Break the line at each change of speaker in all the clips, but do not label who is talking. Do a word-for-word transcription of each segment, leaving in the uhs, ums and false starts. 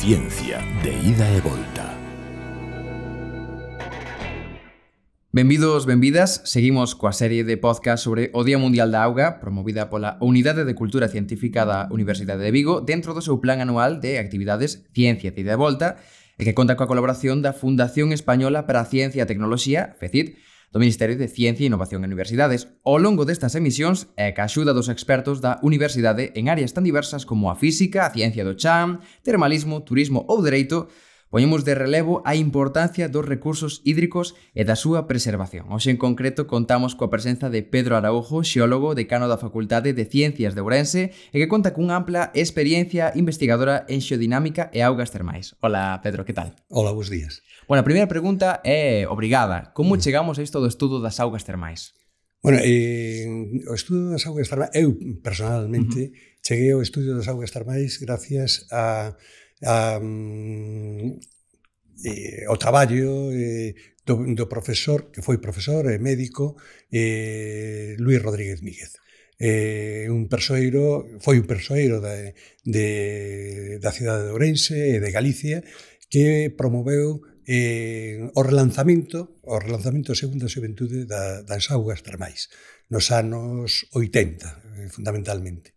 Ciencia de ida e volta.
Benvidos, benvidas. Seguimos coa serie de podcast sobre o Día Mundial da Auga, promovida pola Unidade de Cultura Científica da Universidade de Vigo dentro do seu plan anual de actividades Ciencia de ida e volta, e que conta coa colaboración da Fundación Española para a Ciencia e a Tecnoloxía, FECIT, do Ministerio de Ciencia e Innovación en Universidades. Ao longo destas emisións, e ca axuda dos expertos da universidade en áreas tan diversas como a física, a ciencia do chan, termalismo, turismo ou dereito, poñemos de relevo a importancia dos recursos hídricos e da súa preservación. Hoxe, en concreto, contamos coa presenza de Pedro Araújo, xeólogo, decano da Facultade de Ciencias de Ourense, e que conta cunha ampla experiencia investigadora en xeodinámica e augas termais. Hola, Pedro, que tal?
Hola, bons días.
Bueno, a primeira pregunta é obrigada. Como chegamos a isto do estudo das augas termais?
Bueno, eh, o estudo das augas termais, eu personalmente uh -huh. cheguei ao estudo das augas termais gracias a, a um, eh, ao traballo eh, do, do profesor, que foi profesor e médico, eh, Luis Rodríguez Míguez. Eh, un persoeiro, foi un persoeiro de, de, da cidade de Ourense e de Galicia, que promoveu eh, o relanzamento o relanzamento segundo a xuventude da, das augas termais nos anos oitenta, eh, fundamentalmente.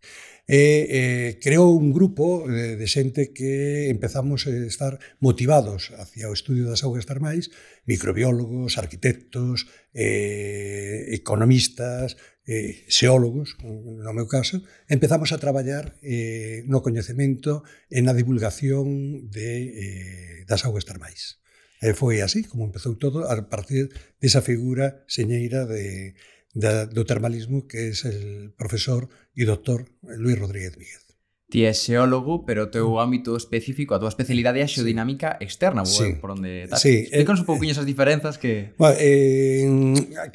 E eh, creou un grupo de, de xente que empezamos a estar motivados hacia o estudio das augas termais, microbiólogos, arquitectos, eh, economistas, eh, xeólogos, no meu caso. Empezamos a traballar eh, no coñecemento e na divulgación de, eh, das augas termais. E foi así como empezou todo, a partir desa figura señeira de, de, do termalismo que é el profesor e doctor Luis Rodríguez Míguez.
Ti és xeólogo, pero o teu ámbito específico, a tua especialidade é a xeodinámica externa,
sí.
por onde estás.
Sí.
Explícanos un pouquinho esas diferenzas que...
Bueno, eh,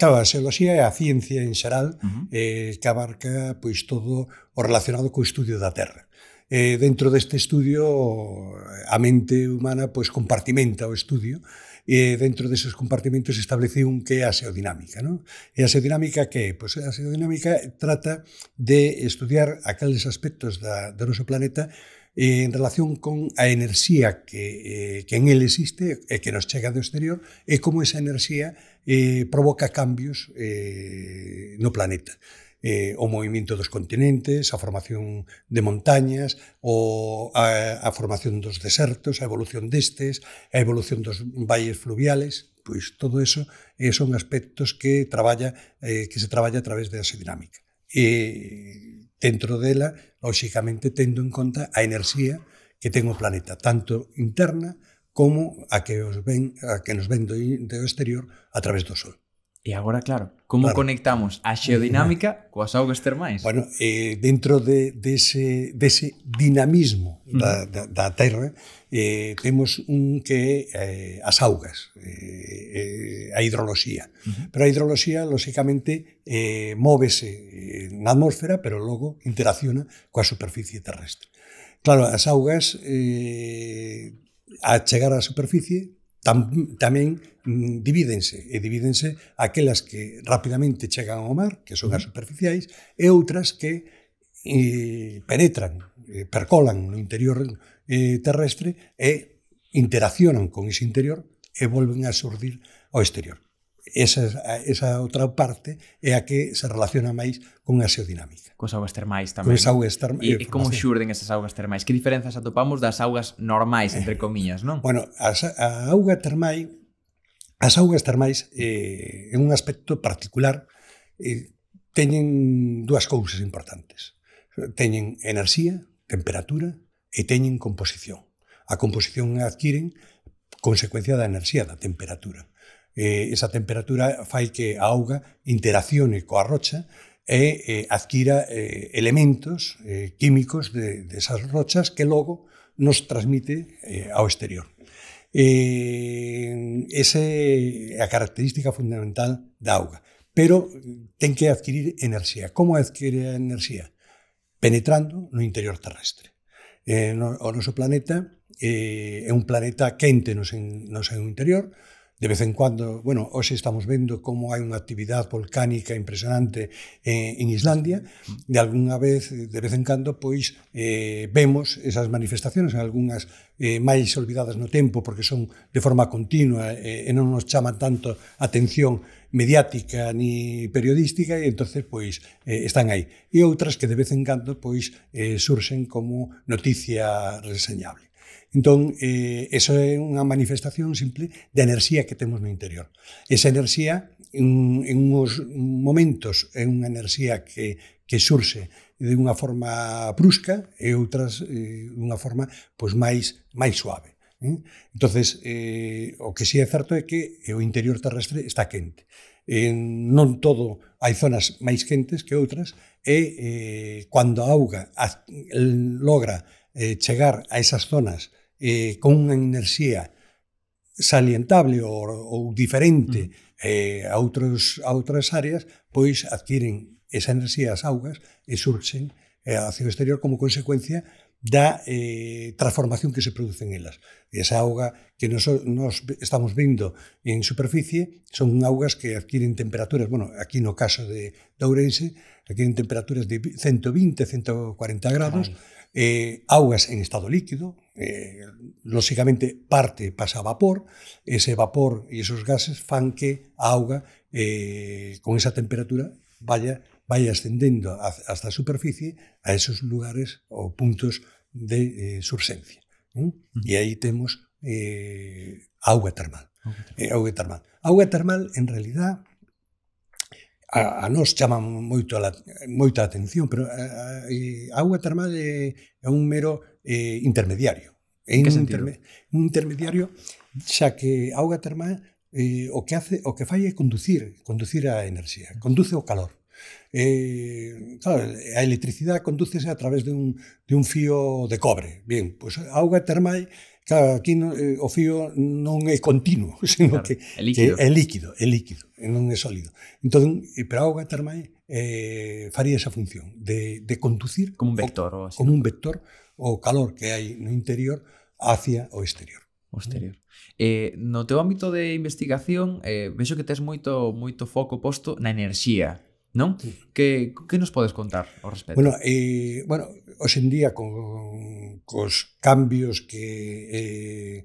claro, a xeoloxía é a ciencia en xeral, uh -huh. eh, que abarca pois todo o relacionado co estudio da Terra. Eh, dentro deste estudio, a mente humana pois compartimenta o estudio, e dentro deses compartimentos establece un que é a xeodinámica, non? E a xeodinámica que é? Pois a xeodinámica trata de estudiar aqueles aspectos da, do noso planeta eh, en relación con a enerxía que, eh, que en ele existe e que nos chega do exterior, e como esa enerxía eh, provoca cambios eh, no planeta. Eh, o movimento dos continentes, a formación de montañas, o a, a formación dos desertos, a evolución destes, a evolución dos valles fluviales, pois todo eso eh, son aspectos que traballa eh, que se traballa a través da xeodinámica. E dentro dela, lóxicamente, tendo en conta a enerxía que ten o planeta, tanto interna como a que, os ven, a que nos ven do, do exterior a través do Sol.
E agora, claro, como claro. conectamos a xeodinámica coas augas termais?
Bueno, eh, dentro de, dese, dese dinamismo uh -huh. da, da, da Terra, eh, temos un que é eh, as augas, eh, eh, a hidroloxía. Uh -huh. Pero a hidroloxía, lóxicamente, eh, móvese na atmósfera, pero logo interacciona coa superficie terrestre. Claro, as augas, eh, a chegar á superficie, Tam, tamén mm, divídense, e divídense aquelas que rapidamente chegan ao mar, que son as superficiais, e outras que eh, penetran, eh, percolan no interior eh, terrestre e interaccionan con ese interior e volven a xurdir ao exterior. Esa, esa outra parte é a que se relaciona máis con a xeodinámica.
Cos augas termais tamén.
Cos augas termais.
E, e como xurden esas augas termais? Que diferenzas atopamos das augas normais, entre comillas, non?
Bueno, as, a auga termai, as augas termais eh, en un aspecto particular eh, teñen dúas cousas importantes. Teñen enerxía, temperatura e teñen composición. A composición adquiren consecuencia da enerxía, da temperatura. Eh, esa temperatura fai que a auga interaccione coa rocha e eh, adquira eh, elementos eh, químicos de, de esas rochas que logo nos transmite eh, ao exterior. Eh, esa é a característica fundamental da auga, pero ten que adquirir enerxía. Como adquire a enerxía? Penetrando no interior terrestre. Eh, no, o noso planeta eh, é un planeta quente no seu, no seu interior, de vez en cuando, bueno, hoxe estamos vendo como hai unha actividade volcánica impresionante en, en Islandia, de algunha vez, de vez en cando, pois, eh, vemos esas manifestaciones, algunhas eh, máis olvidadas no tempo, porque son de forma continua eh, e non nos chaman tanto atención mediática ni periodística, e entonces pois eh, están aí. E outras que de vez en cando pois eh, surxen como noticia reseñable. Entón, eh, eso é unha manifestación simple de enerxía que temos no interior. Esa enerxía, en, en uns momentos, é unha enerxía que, que surxe de unha forma brusca e outras eh, de unha forma pois, máis, máis suave. Eh? Entonces, eh, o que sí é certo é que o interior terrestre está quente. Eh, non todo, hai zonas máis quentes que outras, e eh, cando a auga logra eh, chegar a esas zonas eh, con unha enerxía salientable ou, ou diferente eh, a, outros, a outras áreas, pois adquiren esa enerxía as augas e surxen eh, hacia o exterior como consecuencia da eh, transformación que se produce en elas. E esa auga que nos, nos estamos vendo en superficie son augas que adquiren temperaturas, bueno, aquí no caso de, de Ourense, adquiren temperaturas de ciento vinte, ciento cuarenta grados, eh, augas en estado líquido, eh, lóxicamente parte pasa a vapor, ese vapor e esos gases fan que a auga eh, con esa temperatura vaya vai ascendendo hasta a superficie a esos lugares ou puntos de eh, surxencia. ¿eh? Uh-huh. E aí temos eh, auga termal. Okay. Eh, auga termal. Auga termal, en realidad, a, a nos chama moito a la, moita atención, pero a, a, a auga termal é, é un mero eh, intermediario. É
un,
interme, un intermediario, xa que a auga termal eh, o que hace, o que fai é conducir, conducir a enerxía, conduce o calor. Eh, claro, a electricidade condúcese a través de un, de un fío de cobre. Bien, pois pues, a auga termal, claro, aquí no, eh, o fío non é continuo, sino claro, que é líquido. Que é líquido, é líquido, e non é sólido. Entón, pero a auga termal eh, faría esa función de, de conducir
como un vector, o, así,
como un vector o calor que hai no interior hacia o exterior.
O exterior. Eh, no teu ámbito de investigación, eh, vexo que tes moito, moito foco posto na enerxía. Non? Sí. Que, que nos podes contar ao respecto?
Bueno, eh, bueno, hoxe en día con cos cambios que eh,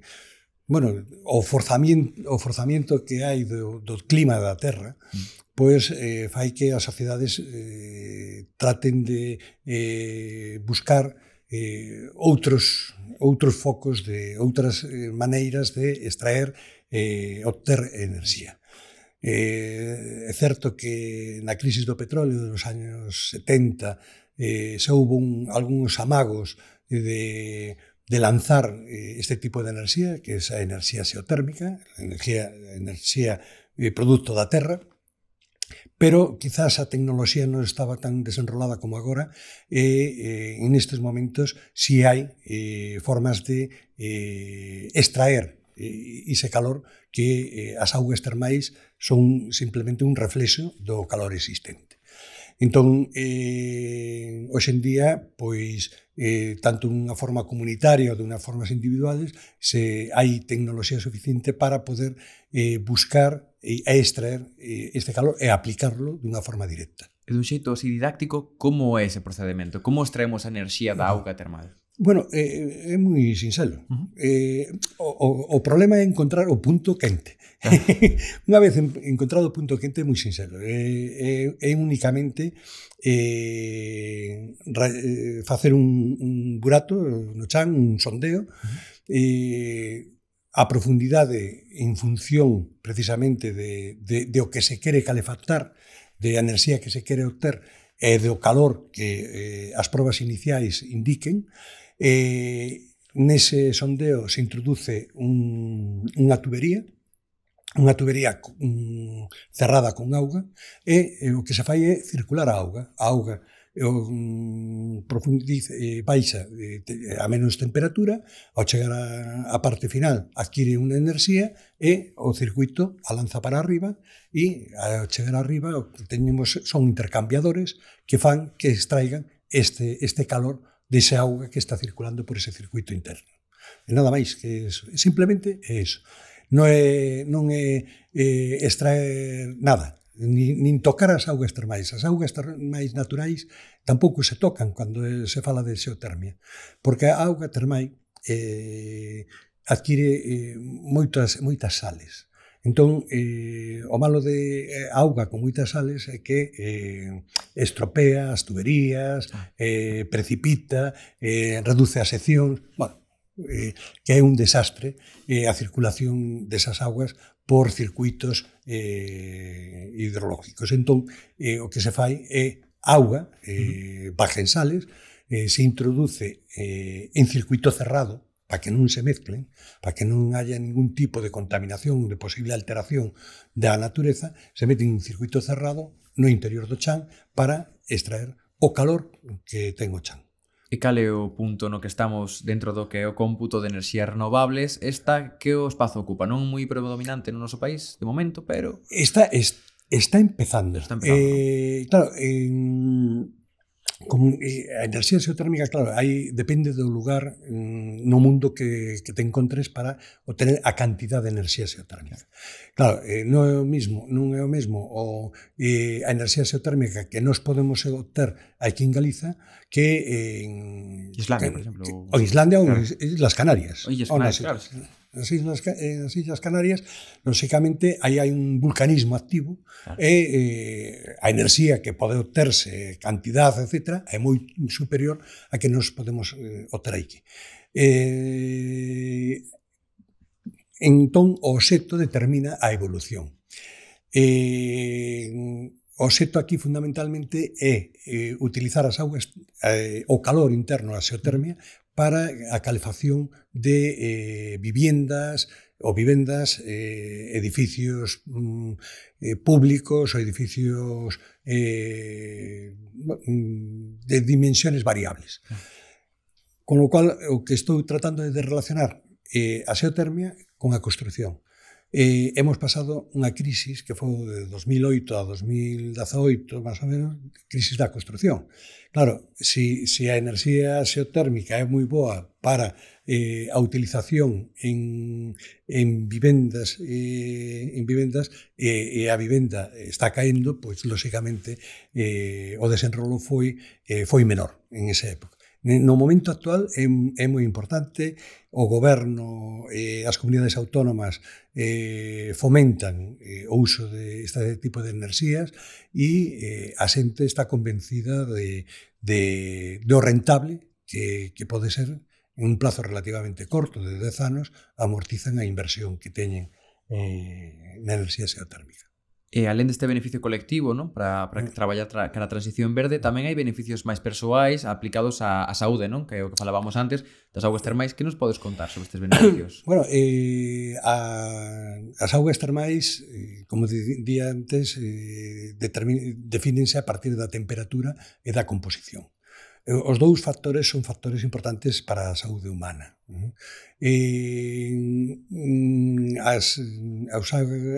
bueno, o forzamiento, o forzamiento que hai do, do clima da Terra, mm. pois eh, fai que as sociedades eh, traten de eh, buscar eh, outros outros focos de outras eh, maneiras de extraer eh, obter enerxía. Eh, é certo que na crisis do petróleo dos años setenta eh, se houve un, algúns amagos de, de lanzar eh, este tipo de enerxía, que é a enerxía xeotérmica, a enerxía, a enerxía eh, produto da terra, pero quizás a tecnoloxía non estaba tan desenrolada como agora e eh, en estes momentos si hai eh, formas de eh, extraer ese calor que eh, as augas termais son simplemente un reflexo do calor existente. Entón, eh, hoxe en día, pois, eh, tanto dunha forma comunitaria ou dunha formas individuales, se hai tecnoloxía suficiente para poder eh, buscar e extraer eh, este calor e aplicarlo dunha forma directa.
E dun xeito así didáctico, como é ese procedimento? Como extraemos a enerxía da auga termal?
Bueno, é, é moi sinxelo. Uh-huh. Eh, o, o problema é encontrar o punto quente. Unha vez encontrado o punto quente é moi sinxelo. É, é, é únicamente eh, ra, eh, facer un, un burato no chan, un sondeo, uh-huh. eh, a profundidade en función precisamente de, de, de o que se quere calefactar, de a enerxía que se quere obter e do calor que eh, as probas iniciais indiquen. Eh, nese sondeo se introduce un, unha tubería, unha tubería um, cerrada con auga, e, e o que se fai é circular a auga. A auga um, profundiza, eh, baixa eh, a menos temperatura, ao chegar a, a parte final adquire unha enerxía e o circuito a lanza para arriba, e ao chegar arriba o que teñemos son intercambiadores que fan que extraigan este, este calor dese auga que está circulando por ese circuito interno. E nada máis que eso. Simplemente é eso. non é, non é eh, extraer nada, nin, nin tocar as augas termais. As augas termais naturais tampouco se tocan cando se fala de xeotermia, porque a auga termai eh, adquire eh, moitas, moitas sales. Entón, eh, o malo de auga con moitas sales é que eh, estropea as tuberías, eh, precipita, eh, reduce a sección, bueno, eh, que é un desastre eh, a circulación desas augas por circuitos eh, hidrológicos. Entón, eh, o que se fai é auga, eh, baja en sales, eh, se introduce eh, en circuito cerrado, para que non se mezclen, para que non haya ningún tipo de contaminación, de posible alteración da natureza, se mete en un circuito cerrado no interior do chan para extraer o calor que ten o chan.
E cal é o punto no que estamos dentro do que é o cómputo de enerxías renovables? Esta que o espazo ocupa, non moi predominante no noso país de momento, pero...
Está, es, está empezando.
Está empezando,
eh, ¿no? Claro, en... Con, eh, a enerxía xeotérmica, claro, aí depende do lugar mm, no mundo que, que te encontres para obtener a cantidad de enerxía xeotérmica. Claro, eh, non é o mismo, non é o mesmo o, eh, a enerxía xeotérmica que nós podemos obter aquí en Galiza que en
Islandia,
que,
por exemplo.
O Islandia ou
claro.
Islas Canarias.
O Illas Canarias, claro.
Nas Islas, nas Islas Canarias, lóxicamente, aí hai un vulcanismo activo claro. e eh, a enerxía que pode obterse, cantidad, etcétera, é moi superior a que nos podemos eh, obter aquí. Eh, entón, o obxecto determina a evolución. Eh, o obxecto aquí, fundamentalmente, é eh, utilizar as augas, eh, o calor interno, a xeotermia, para a calefacción de eh, viviendas ou vivendas, eh, edificios mm, eh, públicos ou edificios eh, de dimensiones variables. Con lo cual, o que estou tratando é de relacionar eh, a xeotermia con a construción. Eh, hemos pasado unha crisis que foi de dos mil oito a dos mil dezaoito, máis ou menos, crisis da construción. Claro, si, si a enerxía xeotérmica é moi boa para eh, a utilización en, en vivendas, eh, en vivendas e, e a vivenda está caendo, pois, lóxicamente, eh, o desenrolo foi, eh, foi menor en esa época. No momento actual é, é moi importante, o goberno e eh, as comunidades autónomas eh, fomentan eh, o uso de este tipo de enerxías e eh, a xente está convencida de, de, de o rentable que, que pode ser en un plazo relativamente corto de dez anos, amortizan a inversión que teñen eh, na enerxía xeotérmica.
E alén deste beneficio colectivo, non? Para, para traballar tra, cara a transición verde, tamén hai beneficios máis persoais aplicados á, á saúde, non? Que é o que falábamos antes das augas termais. Que nos podes contar sobre estes beneficios?
Bueno, eh, a, as augas termais, eh, como dicía antes, eh, defínense a partir da temperatura e da composición. Os dous factores son factores importantes para a saúde humana. E, as, as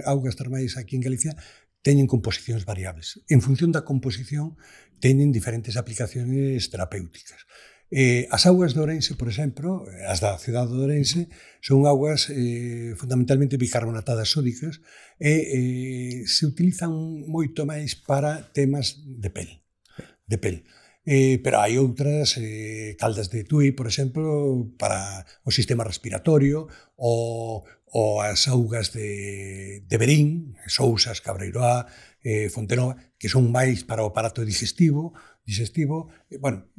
augas termais aquí en Galicia teñen composicións variables. En función da composición, teñen diferentes aplicaciones terapéuticas. Eh, as augas de Ourense, por exemplo, as da cidade de Ourense, son augas eh, fundamentalmente bicarbonatadas sódicas e eh, se utilizan moito máis para temas de pel. De pel. Eh, pero hai outras, eh, Caldas de Tui, por exemplo, para o sistema respiratorio, ou, ou as augas de, de Verín, Sousas, Cabreiroá, eh, Fontenova, que son máis para o aparato digestivo, digestivo, eh, bueno,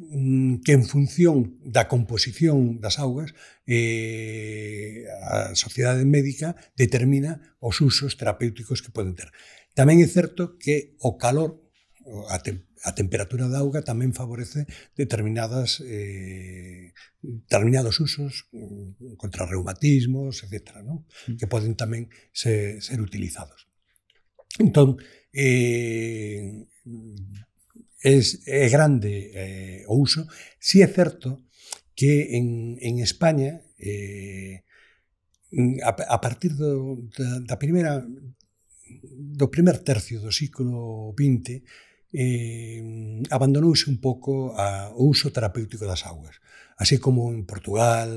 que en función da composición das augas, eh, a Sociedade Médica determina os usos terapéuticos que poden ter. Tamén é certo que o calor, a temperatura, a temperatura da auga tamén favorece determinadas eh, determinados usos contra reumatismos, etcétera, ¿no? Que poden tamén ser, ser utilizados. Entón, eh, es, é grande eh, o uso. Si é certo que en, en España, eh, a, a partir do, da, da primeira, do primer tercio do século vinte, Eh, abandonouse un pouco a, o uso terapéutico das augas, así como en Portugal,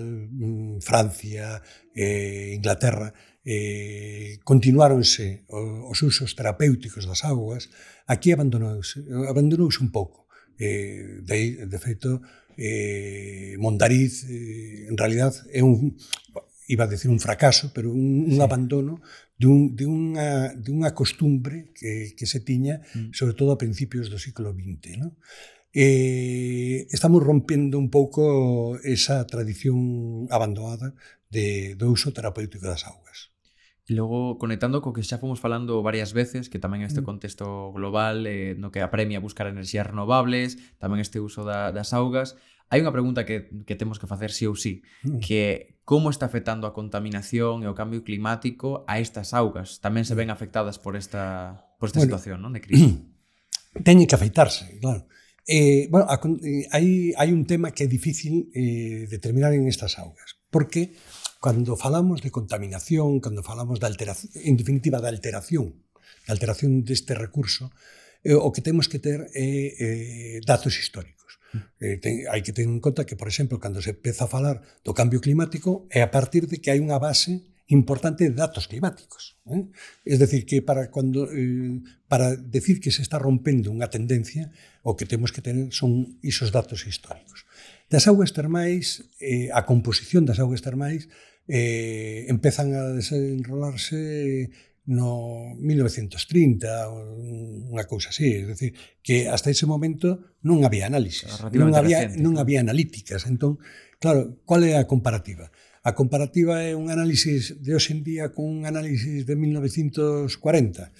Francia, eh, Inglaterra, eh, continuáronse os usos terapéuticos das augas, aquí abandonouse, abandonouse un pouco. Eh, de, de feito, eh, Mondariz, eh, en realidad, é un, iba a decir un fracaso, pero un, un sí. abandono de, un, de, unha, de unha costumbre que, que se tiña, mm. sobre todo a principios do século vinte, ¿no? Eh, estamos rompendo un pouco esa tradición abandonada de, do uso terapéutico das augas.
E logo, conectando co que xa fomos falando varias veces, que tamén este contexto global, eh, no que apremia buscar enerxías renovables, tamén este uso da, das augas, hai unha pregunta que, que temos que facer sí ou sí, que é como está afectando a contaminación e o cambio climático a estas augas? Tamén se ven afectadas por esta, por esta bueno, situación, non, de crise?
Teñen que afeitarse, claro. Eh, bueno, a, eh, hai, hai un tema que é difícil eh, determinar en estas augas, porque cando falamos de contaminación, cando falamos de alteración, en definitiva, de alteración, de alteración deste recurso, eh, o que temos que ter é eh, datos históricos. Eh, ten, hai que ter en conta que, por exemplo, cando se empeza a falar do cambio climático, é a partir de que hai unha base importante de datos climáticos. Eh? Es decir, que para, cuando, eh, para decir que se está rompendo unha tendencia, o que temos que tener son esos datos históricos. Das augas termais, eh, a composición das augas termais eh, empezan a desenrolarse no mil novecientos trinta, unha cousa así, es decir, que hasta ese momento non había análisis, non había, recente, non había analíticas. Entón, claro, qual é a comparativa? A comparativa é un análisis de hoxe en día con un análisis de mil novecientos cuarenta.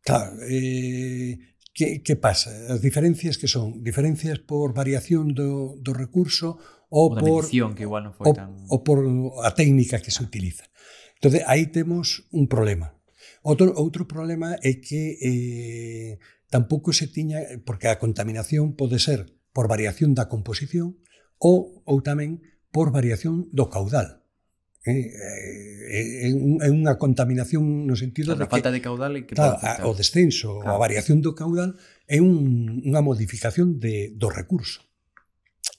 Claro, eh, que, que pasa? As diferencias que son? Diferencias por variación do, do recurso ou por,
medición, que igual non foi
o,
tan...
ou por a técnica que se utiliza. Entón, aí temos un problema. Outro, outro problema é que eh, tampouco se tiña, porque a contaminación pode ser por variación da composición ou, ou tamén por variación do caudal. Eh, é, é unha contaminación no sentido
claro,
de que...
A falta de caudal e que
claro, a, o descenso, claro. A variación do caudal é un, unha modificación de, do recurso.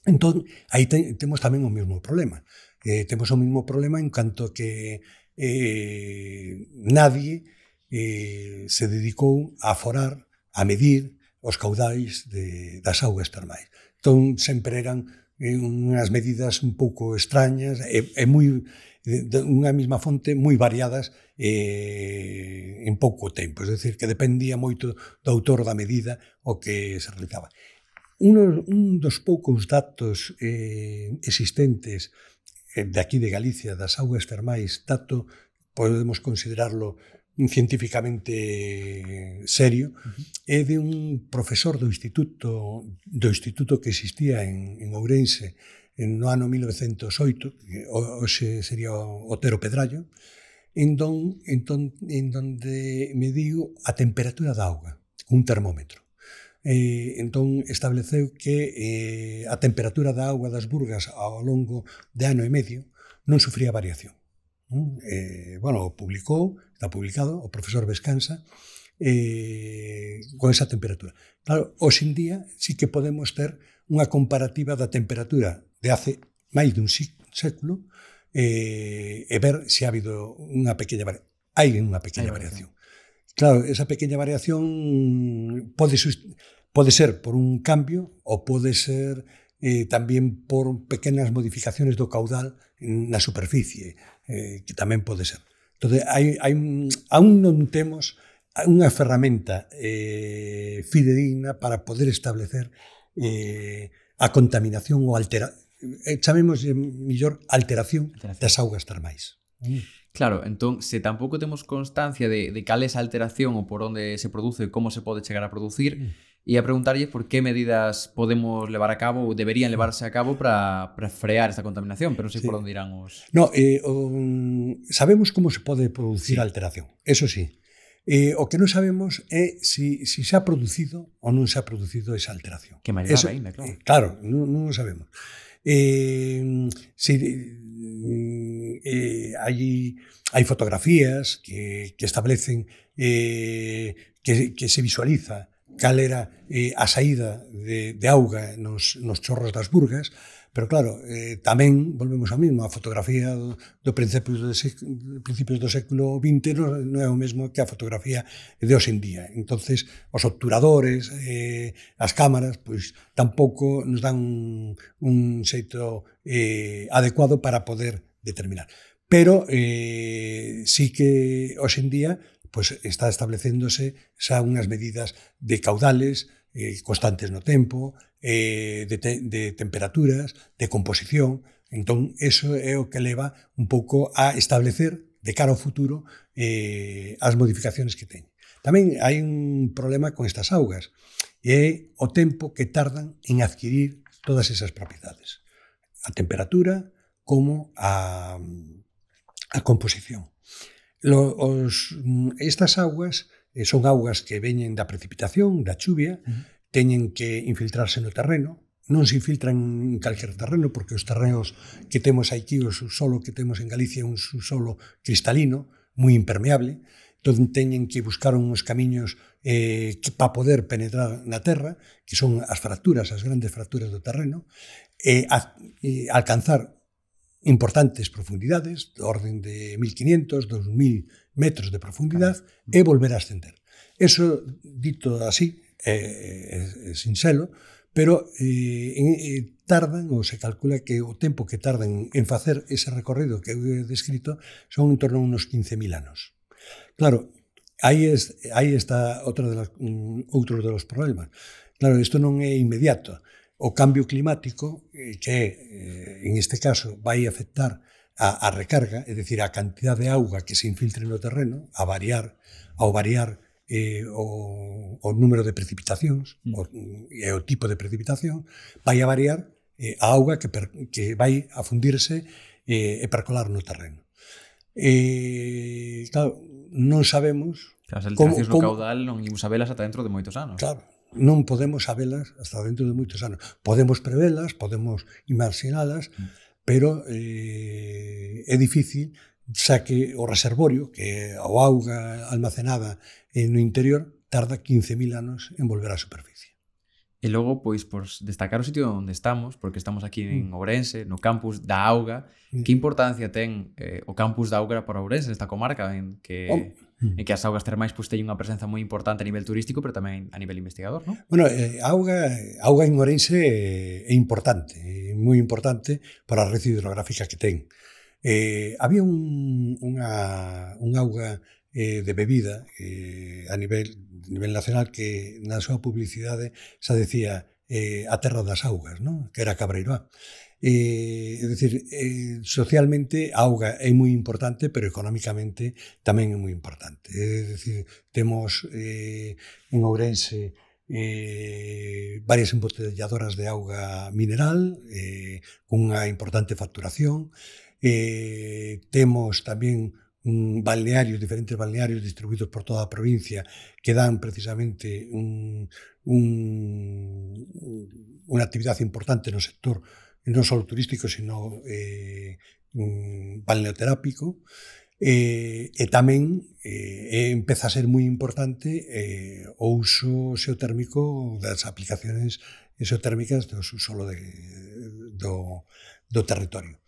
Entón, aí te, temos tamén o mesmo problema. Eh, temos o mesmo problema en canto que eh, nadie eh, se dedicou a aforar, a medir os caudais de, das augas termais. Entón, sempre eran eh, unhas medidas un pouco extrañas e, e moi, de, de unha mesma fonte moi variadas eh, en pouco tempo. Es decir, que dependía moito do autor da medida o que se realizaba. Un, un dos poucos datos eh, existentes de aquí de Galicia, das augas termais, dato, podemos considerarlo científicamente serio, uh-huh. é de un profesor do instituto do instituto que existía en, en Ourense no ano mil novecentos oito, que hoxe sería o Otero Pedrallo, en, don, en, don, en donde mediu a temperatura da auga, un termómetro. Eh, entón estableceu que eh, a temperatura da auga das Burgas ao longo de ano e medio non sufría variación. Eh, bueno, o publicou, está publicado, o profesor Vescansa, eh, con esa temperatura. Claro, hoxe en día sí que podemos ter unha comparativa da temperatura de hace máis dun século eh, e ver se ha habido unha pequena variación. Hai unha pequena variación. Claro, esa pequena variación pode, pode ser por un cambio ou pode ser eh, tamén por pequenas modificaciones do caudal na superficie, eh, que tamén pode ser. Entón, hai, hai, aún non temos unha ferramenta eh, fidedigna para poder establecer eh, a contaminación ou altera, eh, chamemos mellor alteración, alteración das augas termais. Mm.
Claro, entón, se tampouco temos constancia de, de cal é esa alteración ou por onde se produce e como se pode chegar a producir, mm. e a preguntarlle por que medidas podemos levar a cabo ou deberían levarse a cabo para, para frear esta contaminación, pero non sei sí. por onde irán os...
No, eh, um, sabemos como se pode producir sí. a alteración, eso sí. Eh, o que non sabemos é si, si se ha producido ou non se ha producido esa alteración.
Que máis grave ainda, claro.
Eh, claro, non, non sabemos. Eh, si... Eh, hai, hai fotografías que, que establecen eh, que, que se visualiza cal era eh, a saída de, de auga nos, nos chorros das Burgas, pero claro, eh, tamén volvemos ao mesmo, a fotografía do, do principios, do sec, principios do século vinte non, non é o mesmo que a fotografía de hoxe en día. Entonces, os obturadores, eh, as cámaras, pois tampouco nos dan un, un xeito eh, adecuado para poder determinar. Pero eh, sí que hoxe en día pois está establecéndose xa unhas medidas de caudales eh, constantes no tempo, eh, de, te, de temperaturas, de composición. Entón, eso é o que leva un pouco a establecer de cara ao futuro eh, as modificaciones que teñen. Tamén hai un problema con estas augas, e é o tempo que tardan en adquirir todas esas propiedades. A temperatura como a, a composición. Lo, os, estas augas eh, son augas que veñen da precipitación, da chuvia, uh-huh. teñen que infiltrarse no terreno, non se infiltran en calquer terreno, porque os terrenos que temos aquí, o subsolo que temos en Galicia, é un subsolo cristalino, moi impermeable, entón teñen que buscar uns camiños eh, para poder penetrar na terra, que son as fracturas, as grandes fracturas do terreno, e, a, e alcanzar importantes profundidades, de orden de mil quinientos, dos mil metros de profundidade, e volver a ascender. Eso, dito así, é, é, é sincero, pero eh, eh, tardan, ou se calcula que o tempo que tardan en facer ese recorrido que eu he descrito son en torno a unos quince mil anos. Claro, aí, es, aí está outro de los, um, outro de los problemas. Claro, isto non é inmediato. O cambio climático, que en este caso vai afectar a, a recarga, é dicir, a cantidad de auga que se infiltre no terreno, a variar, ao variar eh, o, o número de precipitacións mm. o, e o tipo de precipitación, vai a variar eh, a auga que, per, que vai a fundirse eh, e percolar no terreno. Eh, claro, non sabemos...
As alteracións no caudal non imos a velas ata dentro de moitos anos.
Claro. Non podemos sabelas hasta dentro de moitos anos. Podemos prevelas, podemos imaxinalas, mm. pero eh, é difícil, xa que o reservorio, que o auga almacenada no interior, tarda quince mil anos en volver á superficie.
E logo, pois, por destacar o sitio onde estamos, porque estamos aquí en Ourense, no campus da auga, mm. que importancia ten eh, o campus da auga para Ourense, esta comarca, en que... Oh. en que as augas termais pois, teñen unha presenza moi importante a nivel turístico, pero tamén a nivel investigador, non?
Bueno, eh, a auga, a auga en Ourense é importante, é moi importante para a red hidrográfica que ten. Eh, había un, unha, un auga eh, de bebida eh, a nivel, nivel nacional que na súa publicidade xa decía eh, a terra das augas, non? Que era Cabreiroa. Eh, é dicir, eh, socialmente a auga é moi importante, pero económicamente tamén é moi importante. É dicir, temos eh, en Ourense eh, varias embotelladoras de auga mineral eh, cunha importante facturación. Eh, temos tamén un balnearios, diferentes balnearios distribuídos por toda a provincia que dan precisamente un, un, unha actividade importante no sector non só turístico, sino eh, um, balneoterápico, eh, e tamén eh, empeza a ser moi importante eh, o uso xeotérmico das aplicaciones xeotérmicas do subsolo de, do, do territorio.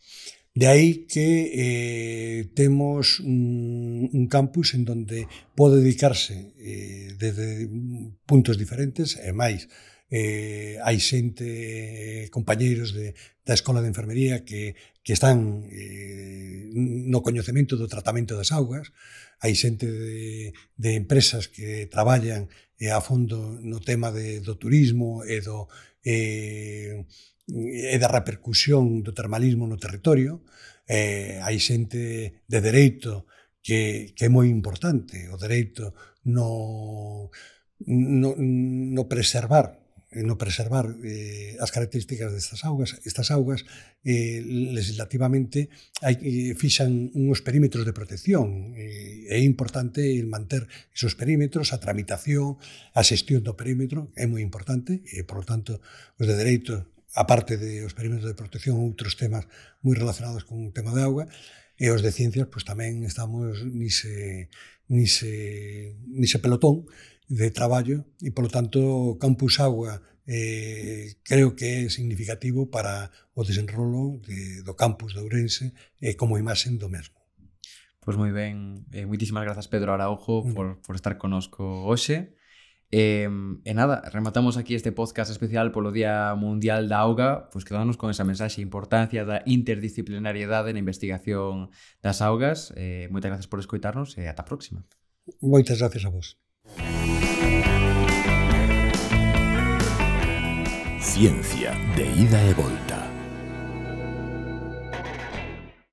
De aí que eh, temos un, un campus en donde pode dedicarse eh, desde puntos diferentes e máis. Eh, hai xente, compañeiros de, da Escola de Enfermería que, que están eh, no coñecemento do tratamento das augas, hai xente de, de empresas que traballan eh, a fondo no tema de, do turismo e, do, eh, e da repercusión do termalismo no territorio, eh, hai xente de dereito que, que é moi importante, o dereito no, no, no preservar no preservar eh, as características destas augas. Estas augas eh, legislativamente hai, eh, fixan uns perímetros de protección. Eh, é importante manter esos perímetros, a tramitación, a xestión do perímetro é moi importante e, por lo tanto, os de dereito, aparte de os perímetros de protección, outros temas moi relacionados con o tema de auga, e os de ciencias, pois tamén estamos nise, nise, nise pelotón de traballo e, polo tanto, Campus Auga eh, creo que é significativo para o desenrolo de, do campus de Ourense eh, como imaxe do mesmo.
Pois moi ben, eh, moitísimas grazas Pedro Araujo por, por estar conosco hoxe. E, e nada, rematamos aquí este podcast especial polo Día Mundial da Auga, pois quedamos con esa mensaxe, a importancia da interdisciplinariedade na investigación das augas. Eh, moitas grazas por escoitarnos e ata a próxima.
Moitas gracias a vos.
Ciencia de ida e volta.